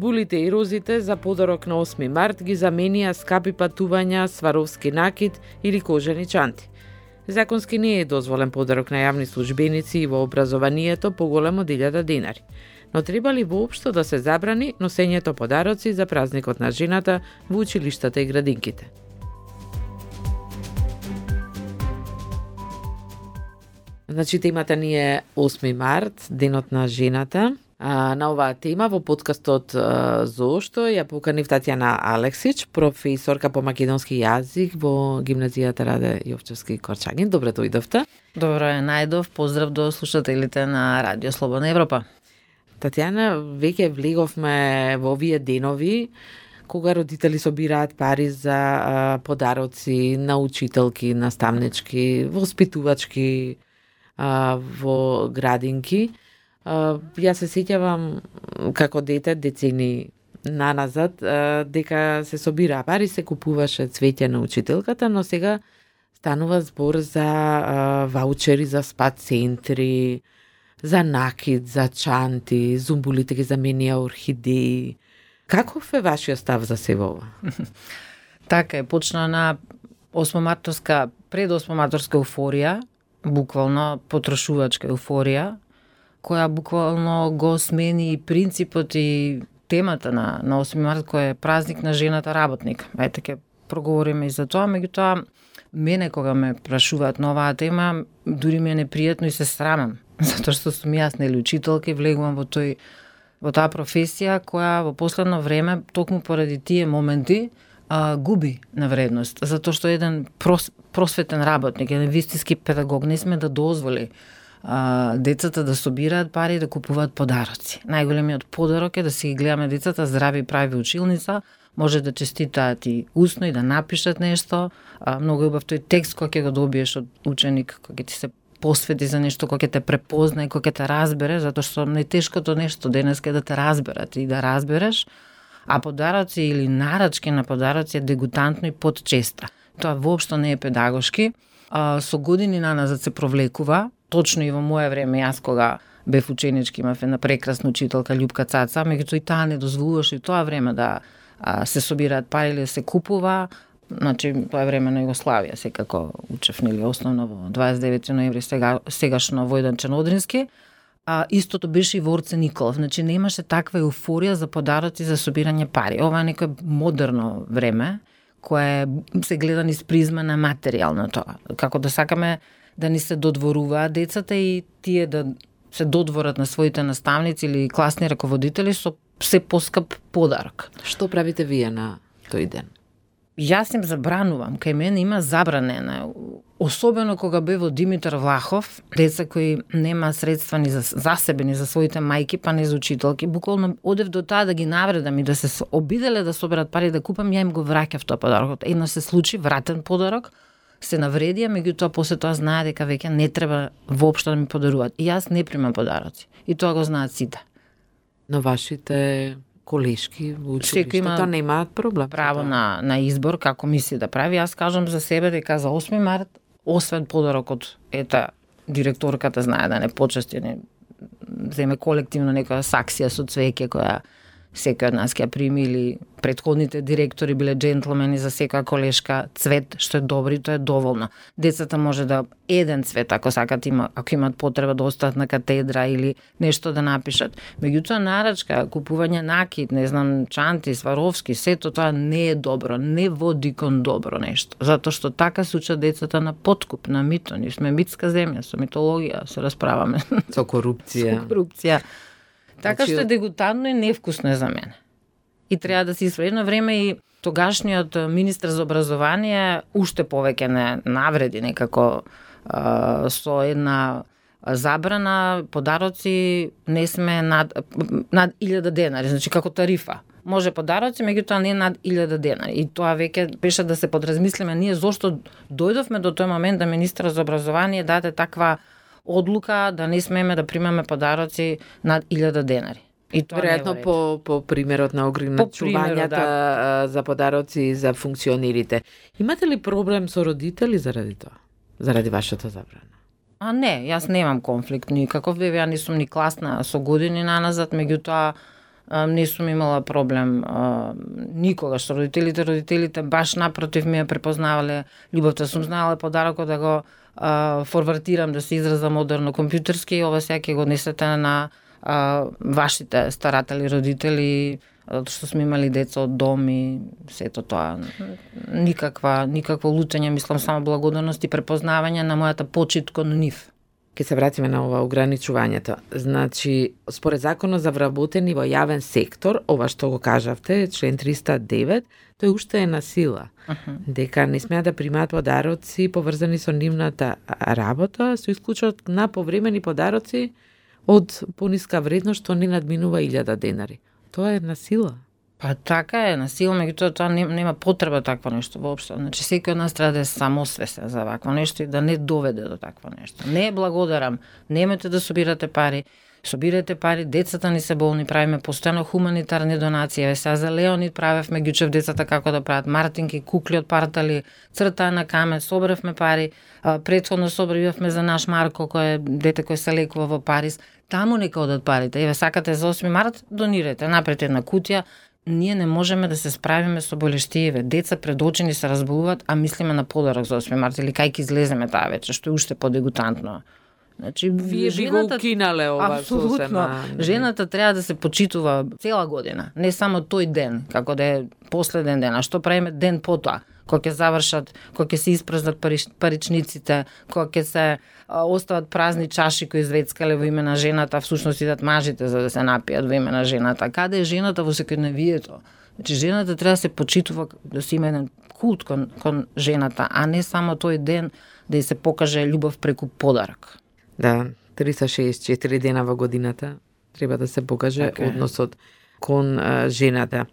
Зумбулите и розите за подарок на 8 март ги заменија скапи патувања, сваровски накид или кожени чанти. Законски не е дозволен подарок на јавни службеници и во образованието поголем од 1000 денари. Но треба ли воопшто да се забрани носењето подароци за празникот на жената во училиштата и градинките? Значи, темата ни е 8 март, денот на жената. На оваа тема во подкастот Зошто ја поканив Татјана Алексич, професорка по македонски јазик во гимназијата Раде Јовчевски Корчагин. Добре дојдовте. Добро е, најдов. Поздрав до слушателите на Радио Слободна Европа. Татјана, веќе влеговме во овие денови кога родители собираат пари за подароци на учителки, наставнички, воспитувачки, во градинки. Јас се сеќавам како дете, децени наназад, дека се собираа пари, се купуваше цвеќе на учителката, но сега станува збор за ваучери за спа центри, за накид, за чанти, зумбулите ги заменија орхидеи. Каков е вашиот став за се ова? Така е, почна на 8-марторска, пред 8-марторска еуфорија, буквално потрошувачка еуфорија, која буквално го смени и принципот и темата на 8 март, кој е празник на жената работник. Ајде ќе проговориме и за тоа, меѓутоа мене кога ме прашуваат на оваа тема, дури ми е непријатно и се срамам, затоа што сум јас нели учителка и влегувам во таа професија која во последно време токму поради тие моменти губи на вредност, затоа што еден просветен работник, еден вистински педагог не сме да дозволи децата да собираат пари и да купуваат подароци. Најголемиот подарок е да си ги гледаме децата здрави, прави училница, може да честитаат и усно и да напишат нешто. Многу е убав тој текст кој ќе го добиеш од ученик, кој ќе ти се посвети за нешто, кој ќе те препознае, кој ќе те разбере, затоа што најтешкото нешто денеска е да те разберат и да разбереш, а подароци или нарачки на подароци е дегутантно и подчеста. Тоа воопшто не е педагошки. Со години наназад се провлекува, точно и во моје време, јас кога бев ученички, имав една прекрасна учителка Љупка Цаца, меѓутоа и таа не дозволуваше и тоа време да се собираат пари или да се купува. Значи, тоа е време на Југославија, секако учев нели основно во 29 ноември, сегашно Војданче Одрински. Истото беше и во Орце Николов, значи немаше таква еуфорија за подароци за собирање пари. Ова е некое модерно време, кое се гледа низ призма на материјалното. Како да сакаме да ни се додворуваат децата и тие да се додворат на своите наставници или класни раководители со се поскап подарок. Што правите вие на тој ден? Јас им забранувам, кај мене има забранена, особено кога бе во Димитар Влахов, деца кои нема средства ни за себе, ни за своите мајки, па не за учителки, буквално одев до таа да ги навредам и да се обиделе да соберат пари да купам, ја им го враќав тоа подарокот. Едно се случи, вратен подарок, се навредија, меѓутоа после тоа знае дека веќе не треба воопшто да ми подаруваат. И јас не примам подароци. И тоа го знаат сите. Но вашите колешки во училиштето немаат проблем. Право на избор како мисли да прави. Јас кажам за себе дека за 8 март, освен подарокот, директорката знае да не почести, не земе колективно некоја саксија со цвеќе која секој од нас ќе прими, или претходните директори биле джентлмени за секоја колешка цвет, што е добро и тоа е доволно. Децата може да еден цвет, ако сакат, ако имат потреба да остават на катедра или нешто да напишат. Меѓутоа нарачка, купување накид, не знам, чанти, сваровски, сето тоа не е добро, не води кон добро нешто. Затоа што така се учат децата на подкуп, на мито. Ние сме митска земја, со митологија се расправаме. Со корупција. Со корупција. Така што е дегутантно и невкусно е за мене. И треба да се исправи на време и тогашниот министар за образование уште повеќе не навреди некако со една забрана подароци не сме над 1000 денари, значи како тарифа. Може подароци, меѓутоа не над 1000 денари. И тоа веќе беше да се подразмислиме ние зошто дојдовме до тој момент да министар за образование даде таква одлука да не смееме да примаме подароци над 1000 денари. И тоа веројатно по примерот на ограничувањата за подароци за функционерите. Имате ли проблем со родители заради тоа? Заради вашата забрана? Не, јас немам конфликт никаков, ја не сум ни класна со години наназад, меѓутоа не сум имала проблем никогаш со родителите. Родителите баш напротив ми ја препознавале љубовта. Сум знаела подарокот да го форвартирам, да се изразам модерно компјутерски, и ова сега ќе го однесете на вашите старатели, родители, затоа што сме имали деца од дом и сето тоа. Никакво лутење, мислам само благодарност и препознавање на мојата почит кон нив. Ке се вратиме на ова ограничувањето. Значи, според законот за вработени во јавен сектор, ова што го кажавте, член 309, тој уште е на сила. Дека не смеа да примаат подароци поврзани со нивната работа, со исклучок на повремени подароци од пониска вредност што не надминува 1000 денари. Тоа е на сила. Па така е, на сила, меѓутоа тоа нема потреба такво нешто воопшто. Значи секој од нас треба да е самосвесен за вакво нешто и да не доведе до такво нешто. Не благодарам, немете да собирате пари, собирате пари, децата ни се болни, правиме постојано хуманитарни донации. Еве сега за Леонид правевме, ги учев децата како да прават мартинки, кукли од партали, цртање на камен, собравме пари, претходно собравме за наш Марко, кој е дете кој се лекува во Париз. Таму нека одат парите. Еве сакате за 8 март, донирате, направете една кутија. Ние не можеме да се справиме со болештиеве. Деца пред очи ни се разболуваат, а мислиме на подарок за 8 март или кај ќе излеземе таа вечер, што е уште подегутантно. Значи, вие би го укинале ова сосема. Жената треба да се почитува цела година, не само тој ден, како да е последен ден, а што правиме ден потоа, кога ќе завршат, кога ќе се испразнат паричниците, кога ќе се остават празни чаши кои звецкале во име на жената, всушност идат мажите за да се напијат во име на жената. Каде е жената во секојдневието? Значи, жената треба да се почитува, да се има еден култ кон жената, а не само тој ден да ја се покаже љубов преку подарок. Да, 364 дена во годината треба да се покаже односот кон жената.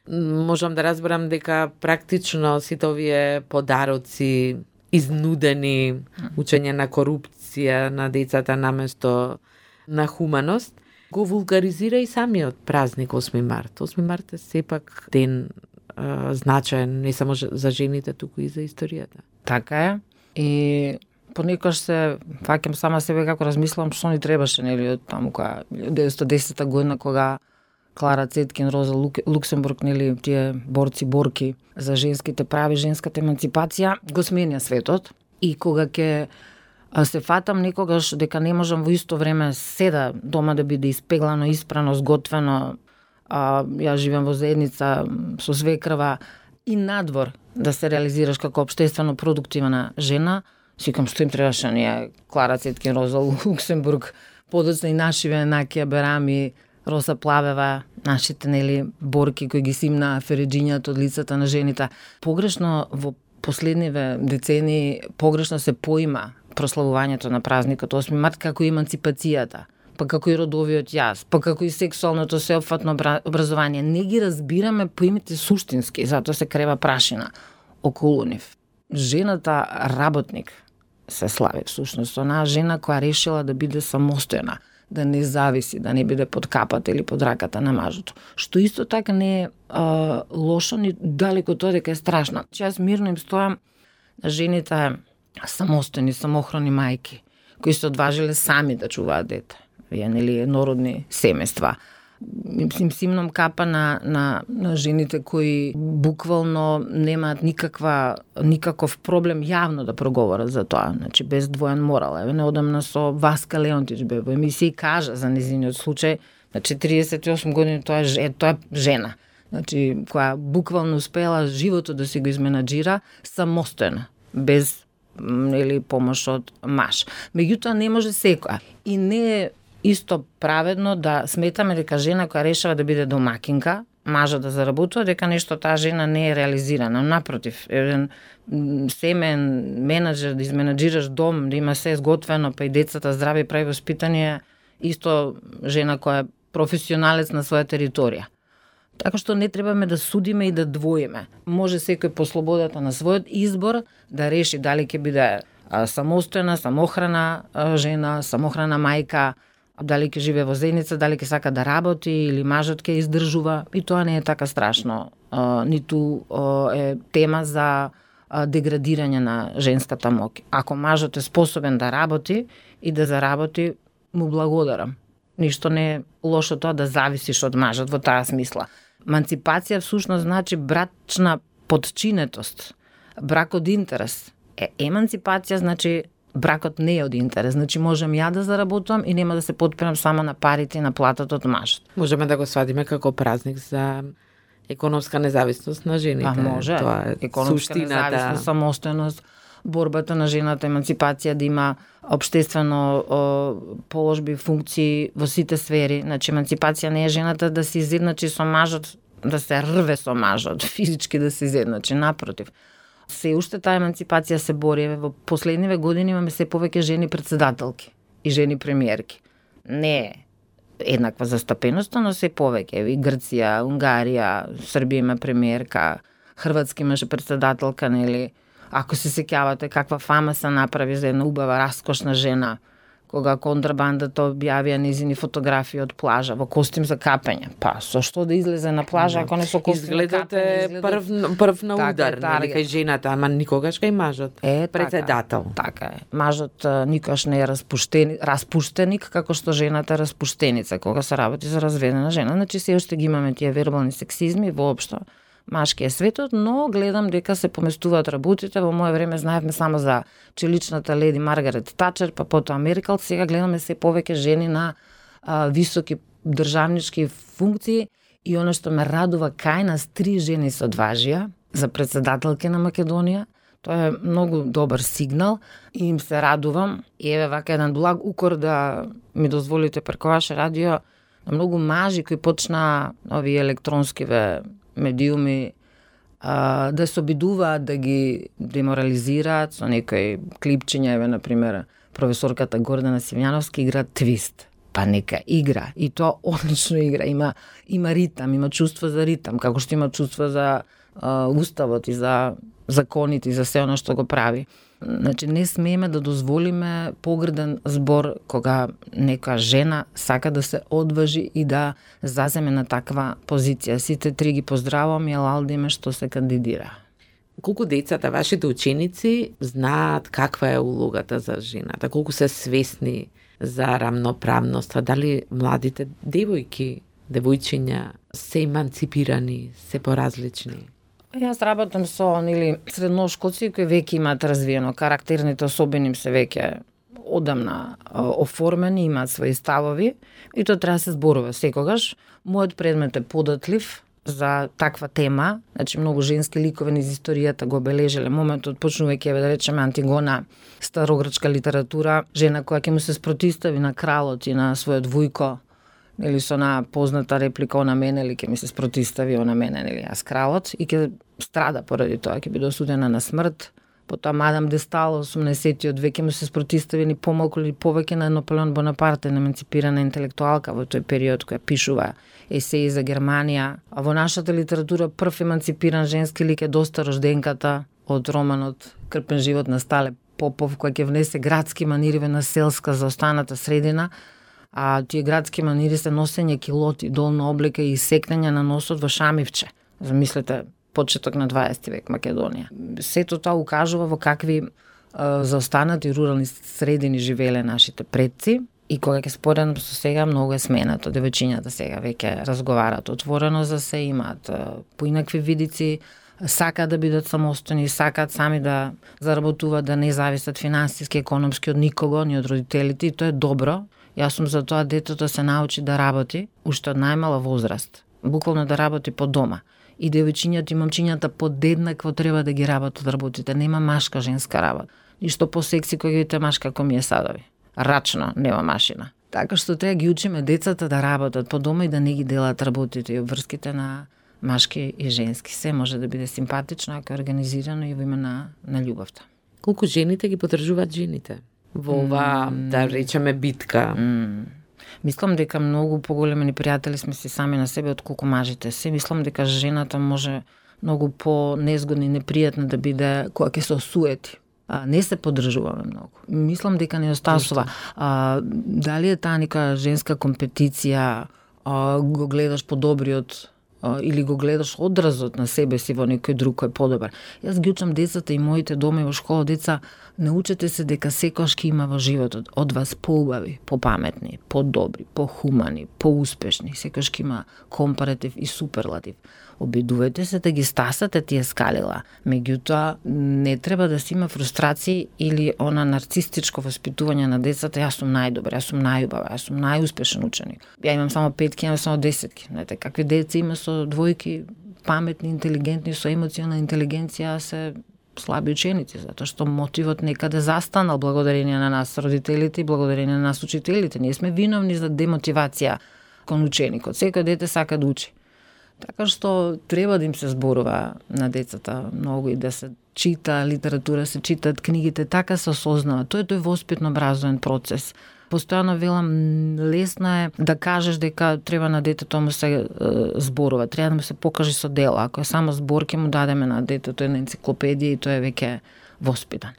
Можам да разберам дека практично сите овие подароци, изнудени, учење на корупција на децата наместо на хуманост, го вулгаризира и самиот празник 8 март. 8 март е сепак ден значаен не само за жените, туку и за историјата. Така е. И понекогаш се фаќам сама себе како размислам што ни требаше, нели, од таму која 1910 година кога Клара Цеткин, Роза Луксембург, нели, тие борци-борки за женските прави, женската еманципација, го сменја светот. И кога ќе се фатам некогаш дека не можам во исто време седа дома да биде испеглано, испрано, сготвено, ја живеам во заедница со свекрва и надвор да се реализираш како општествено продуктивна жена, сикам што им требаше ние Клара Цеткин, Роза Луксембург, подоцна и нашиве Накија Берами, Роса Плавева, нашите, нели, борки кои ги симна фереџињата од лицата на жените. Погрешно во последниве децени погрешно се поима прославувањето на празникот 8 март како еманципацијата, па како и родовиот јас, па како и сексуалното сеопфатно образование. Не ги разбираме поимите суштински, затоа се крева прашина околу нив. Жената работник се слави всушност, онаа жена која решила да биде самостојна, да не зависи, да не биде под капата или под раката на мажото. Што исто така не е лошо, ни далеко тоа дека е страшно. Јас мирно им стојам на жените самостојни, самохрани мајки, кои се одважиле сами да чуваат дете. Вие, нели, народни семејства. Им симнам капа на жените кои буквално немаат никаков проблем јавно да проговорат за тоа, значи без двоен морал. Еве неодамна со Васка Леонтич бе во емисија и кажа за нејзиниот случај, на 48 години тоа е жена, значи која буквално успела животот да си го изменаџира самостојно, без или помош од маж. Меѓутоа не може секоја и не е исто праведно да сметаме дека жена која решава да биде домакинка, мажот да заработува, дека нешто таа жена не е реализирана. Напротив, еден семен менаџер, да изменаџираш дом, да има се изготвено, па и децата здрави прави воспитание, исто жена која е професионалец на своја територија. Така што не требаме да судиме и да двоиме. Може секој по слободата на својот избор да реши дали ќе биде самостојна, самохрана жена, самохрана мајка, дали ќе живее во заедница, дали ќе сака да работи или мажот ќе издржува, и тоа не е така страшно. Ниту е тема за деградирање на женската моќ. Ако мажот е способен да работи и да заработи, му благодарам. Ништо не е лошо тоа да зависиш од мажот во таа смисла. Еманципација всушност значи брачна подчинетост, брак од интерес. Еманципација значи бракот не е од интерес, значи можам ја да заработувам и нема да се потпирам само на парите и на платата од мажот. Можеме да го свадиме како празник за економска независност на жените. Може. Тоа е економска суштината. независност, самостојност, борбата на жената, еманципација, да има општествено положби, функции во сите сфери. Значи, еманципација не е жената да се изедначи со мажот, да се рве со мажот, физички да се изедначи, напротив. Се уште таа еманципација се бори. Во последниве години имаме се повеќе жени председателки и жени премиерки. Не е еднаква застапеноста, но се повеќе. И Грција, Унгарија, Србија има премиерка, Хрватска имаше председателка, нели? Ако се сеќавате каква фама се направи за една убава, раскошна жена, кога контрабандата објавија незини фотографии од плажа во костим за капење. Па, со што да излезе на плажа ако не со костим за капење? прв на Така удар, е, нели, кај жената, ама никогаш кај мажот. Председател. Така е. Мажот никогаш не е распуштеник, како што жената е распуштеница, кога се работи за разведена жена. Значи, се уште ги имаме тие вербални сексизми воопшто. Машки е светот, но гледам дека се поместуваат работите. Во моје време знаевме само за челичната леди Маргарет Тачер, па потоа Меркел. Сега гледаме се повеќе жени на високи државнички функции и оно што ме радува, кај нас 3 жени се одважија за председателки на Македонија. Тоа е многу добар сигнал и им се радувам. И еве вака еден благ укор да ми дозволите преку ваше радио, на многу мажи кои почна овие електронскиве медиуми да се обидуваат да ги деморализираат со некои клипчиња, еве, например, професорката Гордана Симјановска игра твист. Па нека игра. И тоа одлично игра. Има ритам, има чувство за ритам, како што има чувство за уставот и за законите и за се оно што го прави. Значи, не смееме да дозволиме погрден збор кога нека жена сака да се одважи и да заземе на таква позиција. Сите 3 ги поздравувам и алалдиме што се кандидира. Колку децата, вашите ученици, знаат каква е улогата за жената? Колку се свесни за рамноправноста? Дали младите девојки, девојчиња се еманципирани, се поразлични? Јас работам со средношколци кои веќе имаат развиено карактерните особини, им се веќе одамна оформени, имаат своји ставови и тоа треба да се зборува секогаш. Мојот предмет е податлив за таква тема, значи многу женски ликови низ историјата го обележеле моментот, почнувајќи, да речеме, Антигона, старогрчка литература, жена која ќе му се спротистави на кралот и на својот вујко, или со на позната реплика она мене, или ќе ми се спротистави она мене, или јас кралот, и ќе страда поради тоа, ќе биде осудена на смрт. Потоа Мадам де Стал, 80-тиот век, му се спротистави ни помалку или повеќе на Наполеон Бонапарте, на еманципирана интелектуалка во тој период, која пишува есеи за Германија. А во нашата литература прв еманципиран женски лик е доста рожденката од романот Крпен живот на Стале Попов, кој ќе внесе градски манири на селска за останата средина, а тие градски манири се носење килоти, долна облека и секнење на носот во шамивче. Замислете, почеток на 20 век Македонија. Сето тоа укажува во какви заостанати рурални средини живееле нашите предци и кога ќе споредам со сега, многу е сменато. Девојчињата сега веќе разговараат отворено за се, имаат поинакви видици, сакаат да бидат самостојни, сакаат сами да заработуваат, да не зависат финансиски, економски од никого, ни од родителите, и тоа е добро. Јас сум за тоа детето се научи да работи уште од најмала возраст, буквално да работи по дома. И девојчињата и момчињата подеднакво треба да ги работите. Нема машка женска работа. Ништо по-секси кој ги видите машка како ми е садови. Рачно, нема машина. Така што треба ги учиме децата да работат по дома и да не ги делат работите и обврските на машки и женски. Се може да биде симпатично, ако е организирано и во име на љубовта. Колку жените ги поддржуваат жените во ова, да речеме, битка? Мислам дека многу поголеми непријатели сме си сами на себе од колку мажите се. Мислам дека жената може многу по-незгодна и непријатна да биде кога ќе се осуети. Не се поддржуваме многу. Мислам дека не остасува. Дали е таа нека женска компетиција, го гледаш по добриот или го гледаш одразот на себе си во некој друг кој е подобар. Јас ги учам децата и моите дома во школа, деца, научете се дека секогаш ќе има во животот од вас поубави, попаметни, подобри, похумани, поуспешни, секогаш ќе има компаратив и суперлатив. Обидувајте се да ги стасате тие скалила. Меѓутоа, не треба да се има фрустрации или она нарцистичко воспитување на децата. Јас сум најдобар, јас сум најубава, јас сум најуспешен ученик. Ја имам само 5-ки, имам само 10-ки. Знаете, какви деца има со двојки, паметни, интелигентни, со емоционална интелигенција, се слаби ученици, затоа што мотивот некаде застанал благодарение на нас родителите и благодарение на нас учителите. Ние сме виновни за демотивација кон ученикот. Секој дете сака да учи. Така што треба да им се зборува на децата многу и да се чита литература, се читат книгите, така се осознава. Тоа е тој воспитно-образовен процес. Постојано велам, лесно е да кажеш дека треба на детето му се зборува, треба да му се покаже со дела. Ако е само збор, ќе му дадеме на детето една енциклопедија и тоа е веќе воспитан.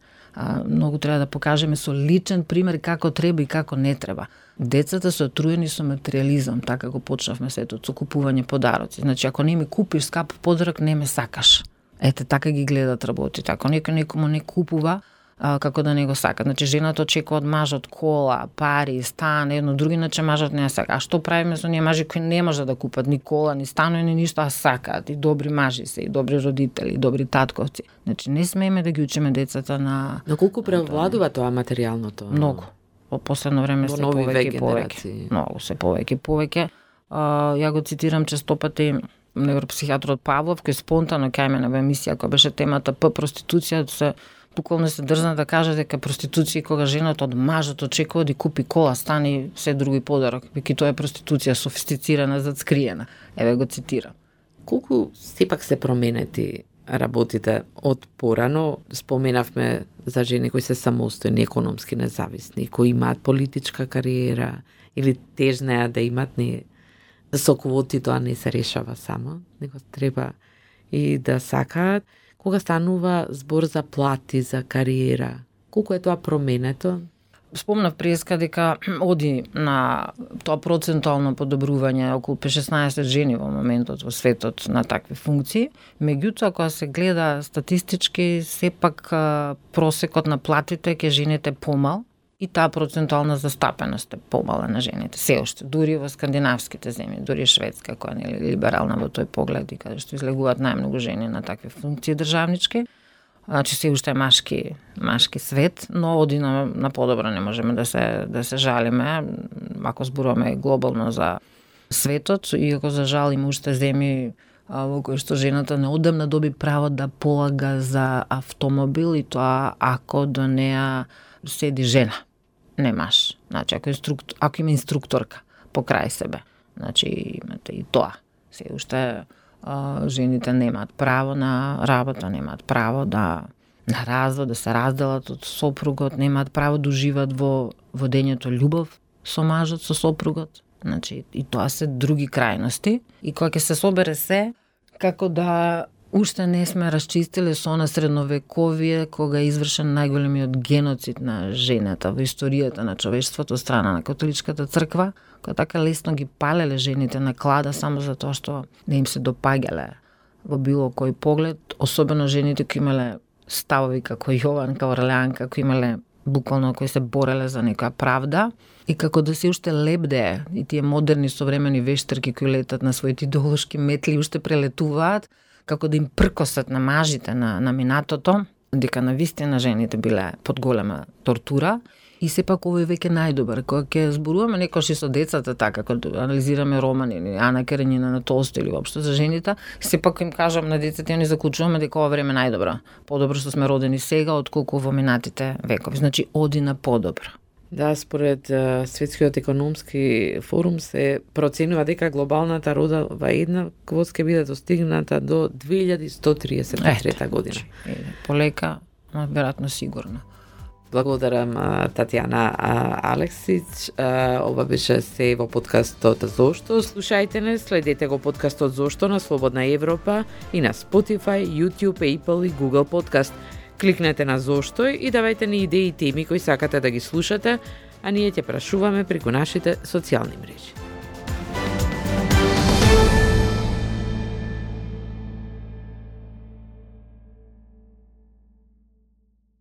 Многу треба да покажеме со личен пример како треба и како не треба. Децата се отруени со материализам, така го почнавме светот, со купување подароци. Значи, ако не ми купиш скап подарок, не ме сакаш. Ете, така ги гледат работите. Ако некој некому не купува, како да не го сака. Значи, жената очекува од мажот кола, пари, стан, едно други, иначе мажот не ја сака. А што правиме со оние мажи кои не може да купат ни кола, ни станови, ни ништо, а сакаат и добри мажи се, и добри родители, и добри татковци. Значи, не смееме да ги учиме децата на... Но колку превладува тоа материјалното? Многу. Во последно време се повеќе и повеќе. Многу се повеќе и повеќе. Ја го цитирам честопати невропсихијатрот Павлов, кој спонтано кај мене во емисија, која беше темата проституција, се буквално се дрзна да каже дека проституција кога жената од мажот очекува да купи кола, стани се други подарок, веќе тоа е проституција софистицирана, зацкриена. Еве го цитирам. Колку сепак се променети работите од порано? Споменавме за жени кои се самостојни, економски независни, кои имаат политичка кариера или тежнеа да имат, не со квоти тоа не се решава само, него треба и да сакаат. Кога станува збор за плати, за кариера, колку е тоа променето? Спомнав преска дека оди на тоа процентуално подобрување околу 16 жени во моментот во светот на такви функции. Меѓутоа, кога се гледа статистички, сепак просекот на платите ке жените помал и таа процентуална застапеност е помала на жените. Се уште, дури во скандинавските земји, дури Шведска, која не е либерална во тој поглед и каде што излегуваат најмногу жени на такви функции државнички. Значи се уште е машки свет, но оди на подобро, не можеме да се жалиме, ако зборуваме глобално за светот, иако за жал има уште земји во кои што жената неодамна доби право да полага за автомобил и тоа ако до неа седи жена, не маж. Значи ако има инструкторка покрај себе, значи имате и тоа. Се уште жените немаат право на работа, немаат право на развод, да се разделат од сопругот, немаат право да уживаат во водењето љубов со мажот, со сопругот. Значи, и тоа се други крајности. И кога ќе се собере се, како да уште не сме расчистили со она средновековие, кога е извршен најголемиот геноцид на жената во историјата на човештвото од страна на католичката црква, која така лесно ги палеле жените на клада само затоа што не им се допаѓале во било кој поглед, особено жените кои имале ставови како Јован, како Орлеан, како имале буквално кои се бореле за некоја правда и како да се уште лебдее и тие модерни современи вештарки кои летат на своите идеолошки метли уште прелетуваат, како да им пркосат на мажите на минатото, дека навистина жените биле под голема тортура. И сепак овој веќе најдобар. Кога ќе зборуваме некош и со децата така, кога анализираме романи или Ана Каренина на Толстој или воопшто за жените, сепак им кажам на децата и они заклучуваме дека ова време најдобро. Подобро што сме родени сега отколку во минатите векови. Значи оди на подобро. Да, според Светскиот економски форум се проценува дека глобалната родова еднаквост ќе биде достигната до 2133 година. Полека, веројатно сигурно. Благодарам Татјана Алексич. Ова беше се во подкастот Зошто. Слушајте не, следете го подкастот Зошто на Слободна Европа и на Spotify, YouTube, Apple и Google Podcast. Кликнете на Зошто и давајте ни идеи и теми кои сакате да ги слушате, а ние ќе прашуваме преку нашите социјални мрежи.